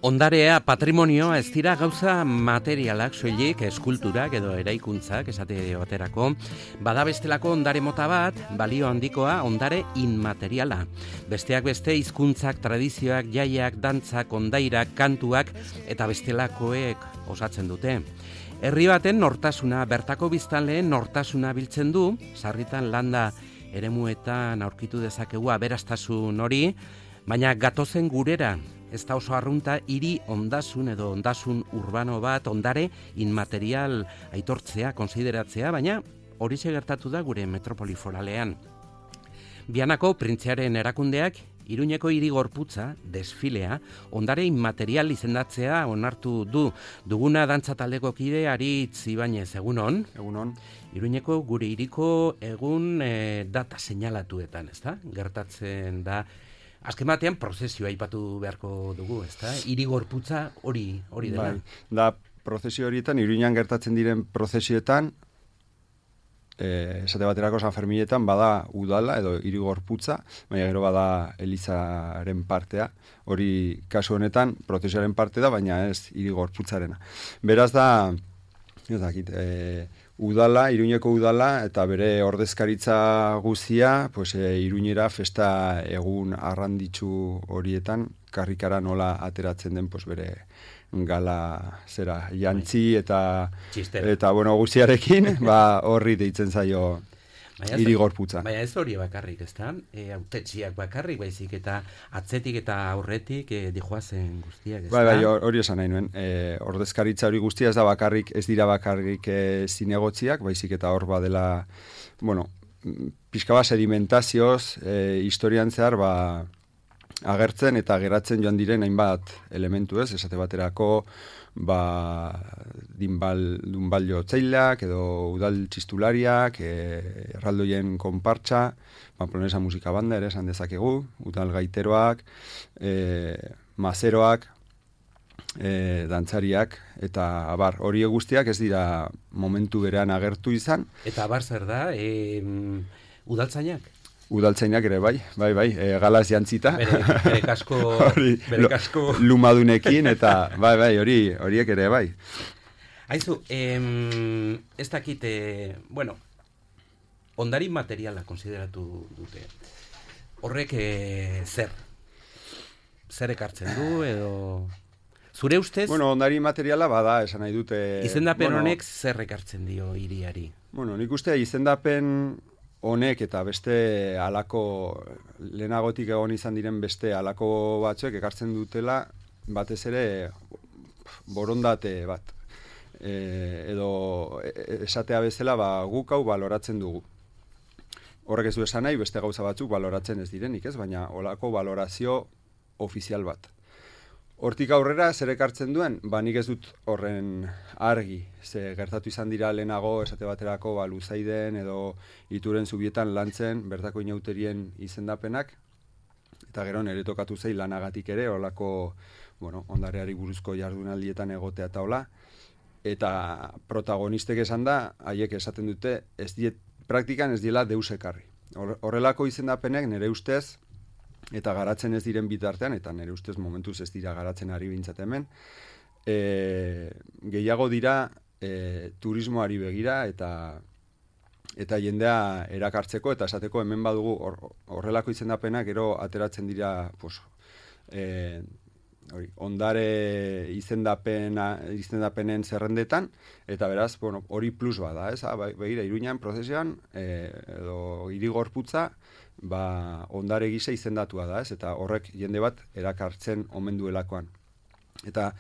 Ondarea, patrimonioa ez dira gauza materialak soilik, eskulturak edo eraikuntzak esate baterako. Bada bestelako ondare mota bat, balio handikoa, ondare inmateriala. Besteak beste hizkuntzak, tradizioak, jaiak, dantzak, ondairak, kantuak eta bestelakoek osatzen dute. Herri baten nortasuna, bertako biztanleen nortasuna biltzen du, sarritan landa eremuetan aurkitu dezakegu aberastasun hori, baina gatozen gurera. Ez da oso arrunta hiri ondasun edo ondasun urbano bat, ondare inmaterial aitortzea, konsideratzea, baina horixe gertatu da gure metropoli foralean. Bianako printzearen erakundeak Iruñeko hiri gorputza, desfilea, ondare inmaterial izendatzea onartu du. Duguna dantza taldeko kide Aritz Ibañez, egunon? Egunon. Iruñeko gure hiriko egun data seinalatuetan, ezta? Gertatzen da. Azken batean prozesioa aipatu beharko dugu, ezta? Hiri gorputza hori dela. Bai. Da prozesio horietan, Iruñan gertatzen diren prozesioetan, esate baterako San Ferminetan bada udala edo hiri gorputza, baina gero bada elizaren partea. Hori kasu honetan prozesioaren parte da, baina ez hiri gorputzarena. Beraz da, ez dakit, udala, Iruñeko udala eta bere ordezkaritza guztia, pues, Iruñera festa egun arranditsu horietan karrikara nola ateratzen den, pues, bere gala zera jantzi eta bueno, guztiarekin, horri deitzen zaio hiri gorputza. Baina ez hori bakarrik, ezta? Hautetsiak bakarrik, baizik eta atzetik eta aurretik dijoazen guztiak, ezta? Bai, hori esan nahi nuen. Ordezkaritza hori guztia ez dira bakarrik zinegotziak, baizik eta hor badela, bueno, pixka bat sedimentazioz, historian zehar, agertzen eta geratzen joan diren hainbat elementu, ez? Esate baterako, dunbalio txailak edo udal txistulariak, erraldoien konpartxa, Pamplonesa musika banda ere esan dezakegu, udal gaiteroak, mazeroak, dantzariak, eta hori guztiak ez dira momentu berean agertu izan. Eta abar zer da, udaltzainak? Udaltzainak ere bai, galaz jantzita. Bere kasko lumadunekin, eta horiek ere bai. Aizu, ez dakit, bueno, ondari materiala konsideratu dute. Horrek zer ekartzen du, edo... Zure ustez? Bueno, ondari materiala bada, esan nahi dute... Izendapen honek zer ekartzen dio hiriari? Bueno, nik uste izendapen honek eta beste halako, lehenagotik egon izan diren beste halako batzuek ekartzen dutela, batez ere borondate bat. Edo esatea bezala guk hau baloratzen dugu. Horrek ez du esan nahi, beste gauza batzuk baloratzen ez direnik, ez? Baina holako balorazio ofizial bat. Hortik aurrera, zer ekartzen duen? Nik ez dut horren argi. Ze gertatu izan dira lehenago, esate baterako, Luzaiden edo Ituren Zubietan lantzen, bertako inauterien izendapenak, eta gero nire tokatu zei lanagatik ere, horlako, ondareari buruzko jardunaldietan egotea eta hola, eta protagonistek esan da, haiek esaten dute, praktikan ez diela deus ekarri. Horrelako izendapenek nire ustez, eta garatzen ez diren bitartean, eta nire ustez momentuz ez dira garatzen ari bintzat hemen, gehiago dira turismoari begira eta jendea erakartzeko, eta esateko hemen badugu horrelako izendapenak gero ateratzen dira ondare izendapenen zerrendetan, eta beraz, hori plus bada, ez? Begira, Iruñan prozesioan, edo hiri gorputza, ondare gisa izendatua da, ez? Eta horrek jende bat erakartzen omen duelakoan. Eta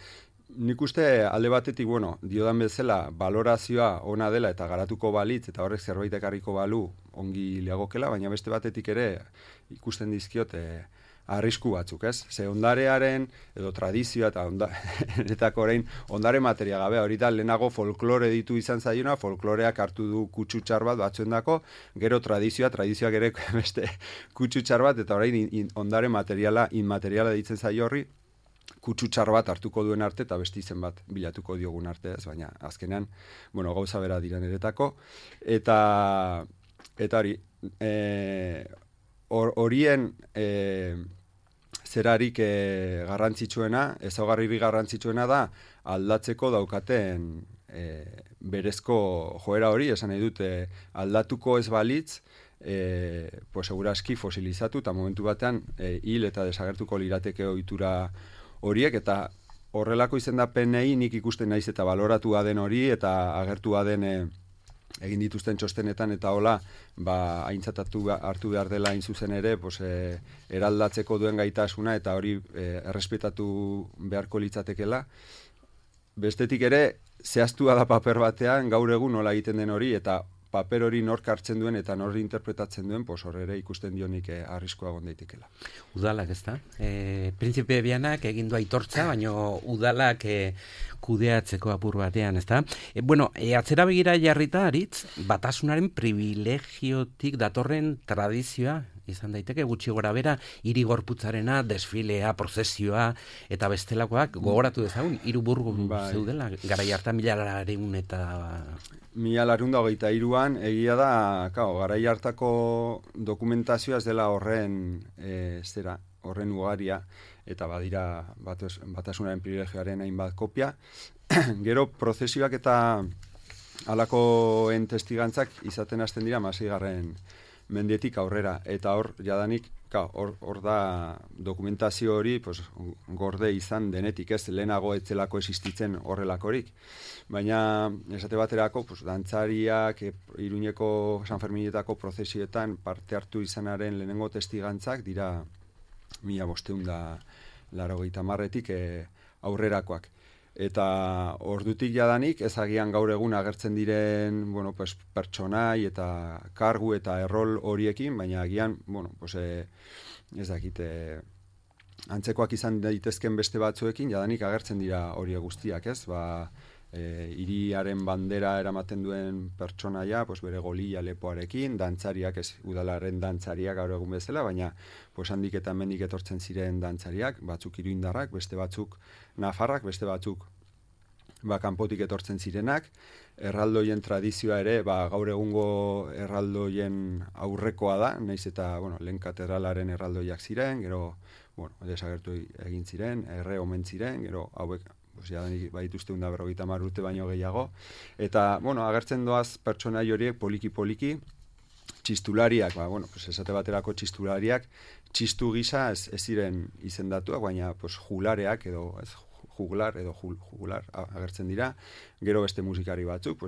nik uste alde batetik, diodan bezala, balorazioa ona dela eta garatuko balitz, eta horrek zerbait ekarriko balu ongi leagokela, baina beste batetik ere ikusten dizkiot arrisku batzuk, ez? Ze ondarearen, edo tradizioa eta orain ondare materia gabe, hori da lehenago folklore ditu izan zaiona, folkloreak hartu du kutsutxar bat batzuendako, gero tradizioak ere beste kutsutxar bat, eta orain ondare materiala, inmateriala ditzen zaio horri, kutsutxar bat hartuko duen arte, eta beste izen bat bilatuko diogun arte, ez? Baina azkenean, gauza bera dira niretako, eta hori, horien zerarik garrantzitsuena, ezaugarririk garrantzitsuena da aldatzeko daukaten berezko joera hori, esan nahi dut aldatuko ez balitz, pues seguraski fosilizatu eta momentu batean hil eta desagertuko lirateke ohitura horiek, eta horrelako izendapenei nik ikusten naiz eta baloratua den hori eta agertua den egin dituzten txostenetan eta hola, aintzat hartu behar dela hain zuzen ere, pues, eraldatzeko duen gaitasuna eta hori errespetatu beharko litzatekela. Bestetik ere, zehaztua da paper batean, gaur egun nola egiten den hori, eta paper hori nork hartzen duen eta nork interpretatzen duen, pues hor ere ikusten dionik arriskoa egon daitekela. Udalak, ezta? Printzipe Bianak egin du aitortza, baina udalak kudeatzeko apur batean, ezta? Atzera begira jarrita, Aritz, batasunaren privilegiotik datorren tradizioa izan daiteke, gutxi gora bera, hiri gorputzarena, desfilea, prozesioa, eta bestelakoak gogoratu dezagun, hiru burgu zeudela, garai hartan 1923an, egia da, garai hartako dokumentazioa ez dela horren horren ugaria, eta badira batasunaren privilegioaren hainbat kopia. Gero prozesioak eta halakoen testigantzak izaten hasten dira 16. Mendetik aurrera, eta hor jadanik hor da dokumentazio hori pues, gorde izan denetik, ez lehenago etzelako existitzen horrelakorik, baina esate baterako pues, dantzariak Iruñeko San Ferminetako prozesioetan parte hartu izanaren lehenengo testigantzak dira 1580etik aurrerakoak. Eta ordutik jadanik ezagian gaur egun agertzen diren pues, pertsonai eta kargu eta errol horiekin, baina agian ez dakit antzekoak izan daitezken beste batzuekin jadanik agertzen dira horiek guztiak, ez? Hiriaren bandera eramaten duen pertsonaia, pues, bere golila lepoarekin, dantzariak, ez udalaren dantzariak gaur egun bezala, baina pues, handik eta hemendik etortzen ziren dantzariak, batzuk iruindarrak, beste batzuk nafarrak, beste batzuk kanpotik etortzen zirenak, erraldoien tradizioa ere, gaur egungo erraldoien aurrekoa da, naiz eta, lehen katedralaren erraldoiak ziren, gero, desagertu egin ziren, erre omen ziren, gero hauek, badituzte 150 urte baino gehiago, eta, agertzen doaz pertsonai horiek poliki-poliki, txistulariak, esate baterako txistulariak, txistu gisa ez ziren izendatuak, baina juglareak edo juglar agertzen dira, gero beste musikari batzuk,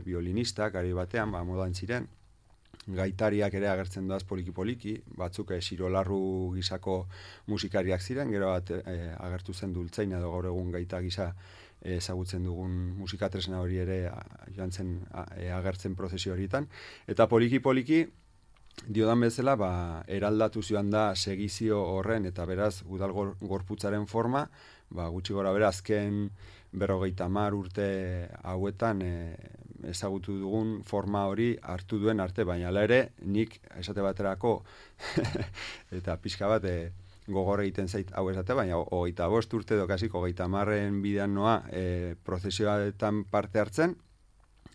violinistak, gari batean, modan ziren, gaitariak ere agertzen doaz poliki-poliki, batzuk sirolarru gisako musikariak ziren, gero agertu zen dultzain edo gaur egun gaita gisa ezagutzen dugun musikatresna hori ere joan zen agertzen prozesio horietan, eta poliki-poliki diodan bezala, eraldatu zioan da segizio horren eta beraz udal gorputzaren forma, gutxi gora bera azken 50 urte hauetan ezagutu dugun forma hori hartu duen arte, baina hala ere nik esate baterako eta pixka bat gogor egiten zait hau esate, baina 25 urte edo kasi 30 bidean noa prozesioetan parte hartzen,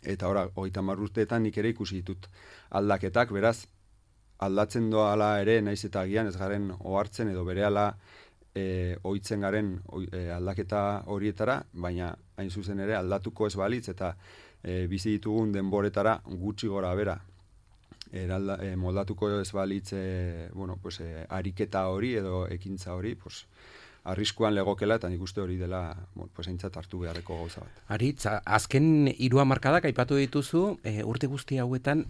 eta ora 30 urteetan nik ere ikusi ditut aldaketak, beraz aldatzen doala ere naiz eta agian ez garen ohartzen edo berehala ohitzen garen aldaketa horietara, baina hain zuzen ere aldatuko ez balitz eta bizi ditugun denboretara gutxi gora bera moldatuko ez balitz ariketa hori edo ekintza hori, arriskuan legokela eta nik uste hori dela aintzat hartu beharreko gauza bat. Aritz, azken 3 hamarkadak aipatu dituzu, urte guzti hauetan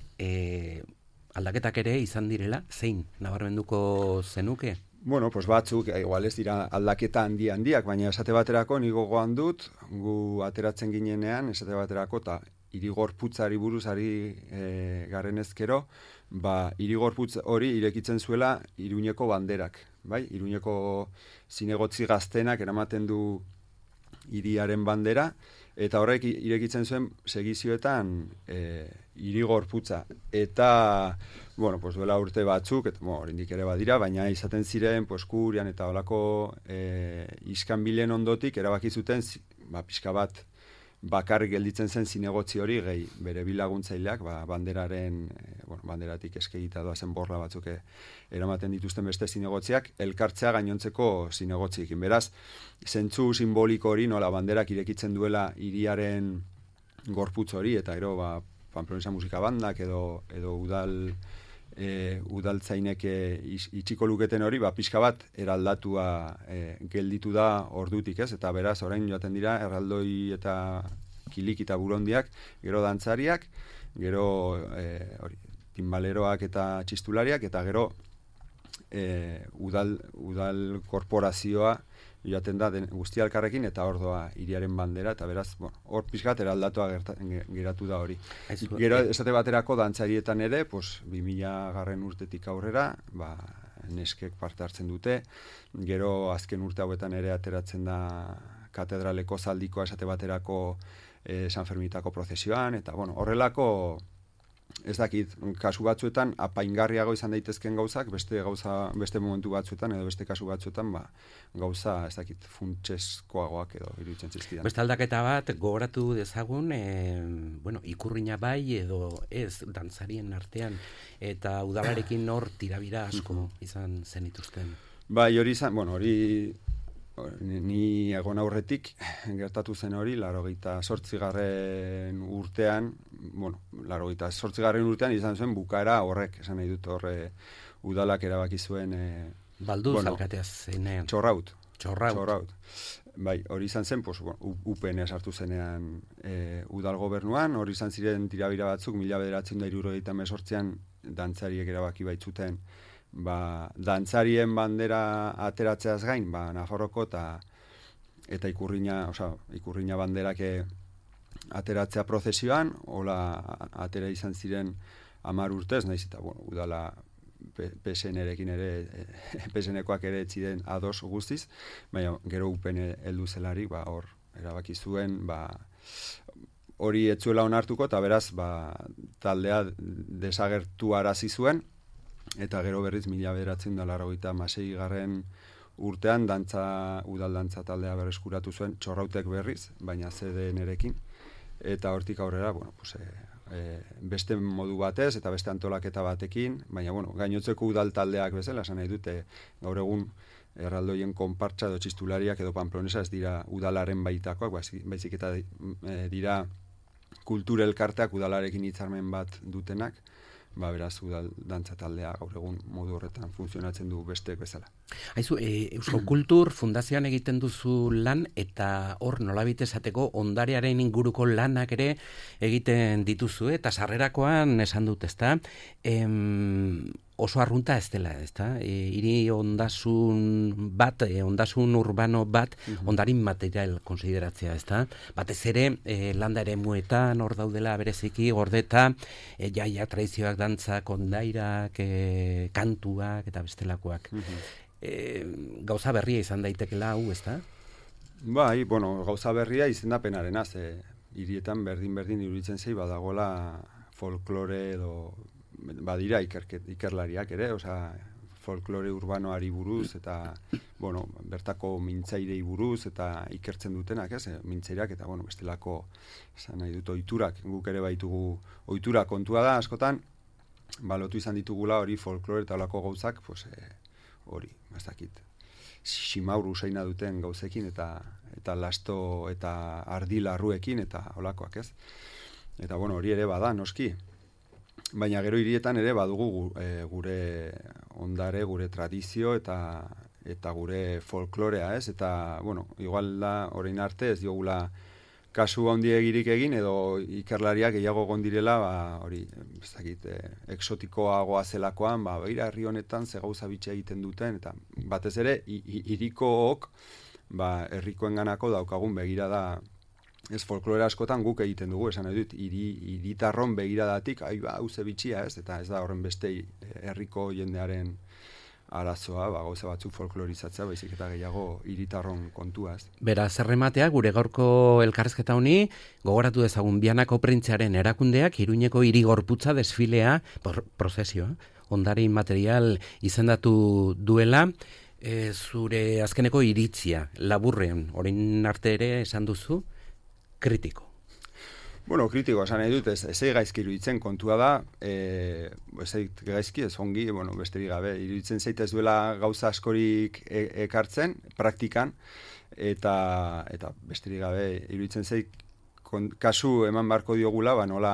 aldaketak ere izan direla, zein nabarmenduko zenuke? Batzuk, igual ez dira aldaketa handiak, baina esate baterako nigo gogoan dut, gu ateratzen ginenean, esate baterako, eta irigorputzari buruzari garen ezkero, irigorputz hori irekitzen zuela Iruñeko banderak, bai? Iruñeko zinegotzi gaztenak eramaten du hiriaren bandera, eta horrek irekitzen zuen segizioetan irigorputza. Eta, duela urte batzuk, eta oraindik ere badira, baina izaten ziren, Kurian eta holako iskanbilen ondotik erabaki zuten, pixka bat bakarrik gelditzen zen zinegotzi hori, gehi bere bilaguntzaileak, banderatik eskegita doazen borla batzuk eramaten dituzten beste zinegotziak, elkartzea gainontzeko zinegotziekin. Beraz, zentzu simboliko hori, nola banderak irekitzen duela hiriaren gorputz hori, eta gero, Pamplonesa musika bandak edo udaltzainek itxiko luketen hori, pixka bat eraldatua gelditu da ordutik, ez? Eta beraz, orain joaten dira, erraldoi eta kilik eta burondiak, gero dantzariak, gero timbaleroak eta txistulariak, eta gero udal korporazioa joaten da guztia elkarrekin, eta hor doa hiriaren bandera, eta beraz, hor pixkat eraldatua geratu da hori. Gero, esate baterako dantzarietan ere, 2000 urtetik aurrera, neskek parte hartzen dute, gero azken urte hauetan ere ateratzen da katedraleko zaldikoa esate baterako San Fermitako prozesioan, eta horrelako, ez dakit, kasu batzuetan apaingarriago izan daitezken gauzak, beste momentu batzuetan edo beste kasu batzuetan, gauza, ez dakit, funtseskoagoak edo iruditzen zizkidan. Beste aldaketa bat, gogoratu dezagun, ikurrina bai edo ez dantzarien artean, eta udalarekin hor tirabira asko izan zenituzten. Bai, hori izan, ni egon aurretik gertatu zen hori, 88. urtean, 88. urtean izan zuen bukaera horrek, esan nahi dut horre udalak erabaki zuen Balduz alkateaz zenean. Txorraut. Bai, hori izan zen, UPN sartu zenean udal gobernuan, hori izan ziren tirabira batzuk, 1978an dantzariek erabaki baitzuten dantzarien bandera ateratzeaz gain, Nafarroko eta ikurrina banderak ateratzea prozesioan, hola atera izan ziren 10 urtez, naiz eta udala PSN-erekin ere, PSN-ekoak ere etziren ados guztiz, baina gero UPN heldu zelari, hor erabaki zuen, hori etzuela onartuko, eta beraz, taldea desagertu arazi zuen, eta gero berriz 1986. Urtean udal dantza taldea berreskuratu zuen Txorrautek berriz, baina CDN-erekin, eta hortik aurrera, beste modu batez eta beste antolaketa batekin, baina gainotzeko udal taldeak bezala, esan nahi dute, gaur egun erraldoien konpartsa edo txistulariak edo Pamplonesa ez dira udalaren baitakoak, baizik eta dira kultura elkarteak udalarekin hitzarmen bat dutenak, beraz, udal dantza taldea gaur egun modu horretan funtzionatzen du besteek bezala. Aizu, Eusko Kultur Fundazioan egiten duzu lan, eta hor nolabait esateko ondarearen inguruko lanak ere egiten dituzu, eta sarrerakoan esan dut, ezta? Oso arrunta ez dela, ezta? Hiri ondasun bat, ondasun urbano bat, ondarin material konsideratzea, ezta? Batez ere, landa ere muetan, hor daudela bereziki, gordeta, jaia tradizioak, dantzak, ondairak, kantuak eta bestelakoak. Gauza berria izan daitekela hau, ezta? Bai, gauza berria izendapenarena, hirietan berdin iruditzen zei badagola folklore edo badira ikerlariak ere, folklore urbanoari buruz eta bertako mintzairei buruz eta ikertzen dutenak, mintzairak eta bestelako esan nahi dut ohiturak, guk ere baitugu ohitura kontua da askotan, lotu izan ditugula hori folklore eta olako gauzak, hori, ez dakit, simaur usaina duten gauzekin eta lasto eta ardilarruekin eta olakoak, ez? Eta hori ere bada, noski. Baina gero hirietan ere badugu gure ondare, gure tradizio eta gure folklorea, ez? Eta, igual da, orain arte ez diogula kasu handiegirik egin edo ikerlariak gehiago gondirela, hori, ez dakit, exotikoagoa zelakoan, beira herri honetan ze gauza bitxe egiten duten, eta batez ere, hirikook, herrikoenganako daukagun begirada, ez folklore askotan guk egiten dugu, esan nahi dut, hiritarron begiradatik, hau ze bitxia, ez? Eta ez da horren beste herriko jendearen arazoa, gauza batzuk folklorizatzea, baizik eta gehiago hiritarron kontua, ez? Beraz, errematea, gure gaurko elkarrezketa honi, gogoratu dezagun Bianako Printzearen erakundeak, Iruñeko hiri gorputza desfilea, prozesioa, ondare inmaterial izendatu duela, zure azkeneko iritzia, laburrean, orain arte ere esan duzu, kritiko. Bueno, kritiko esan nahi dut, ez gaizki iruditzen kontua da, ez gaizki, ez ongi, bueno, besterik gabe, iruditzen zait ez duela gauza askorik ekartzen, praktikan, eta besterik gabe, iruditzen zait, kasu eman barko diogula, nola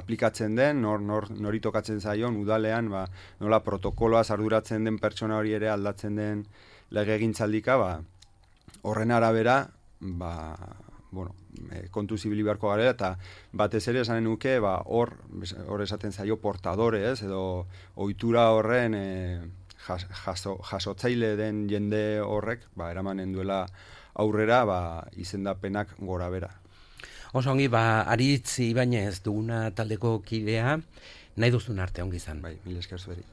aplikatzen den, nori tokatzen zaion, udalean, nola protokoloaz arduratzen den pertsona hori ere aldatzen den legegintzaldika, horren arabera, bueno, kontu zibili beharko garela, eta batez ere esanen nuke, hor esaten zaio portadore, edo ohitura horren jasotzaile den jende horrek, eramanen duela aurrera, izendapenak gora bera. Oso ongi, Aritz Ibañez duguna taldeko kidea, nahi duzun arte ongi izan. Bai, mila esker zueri.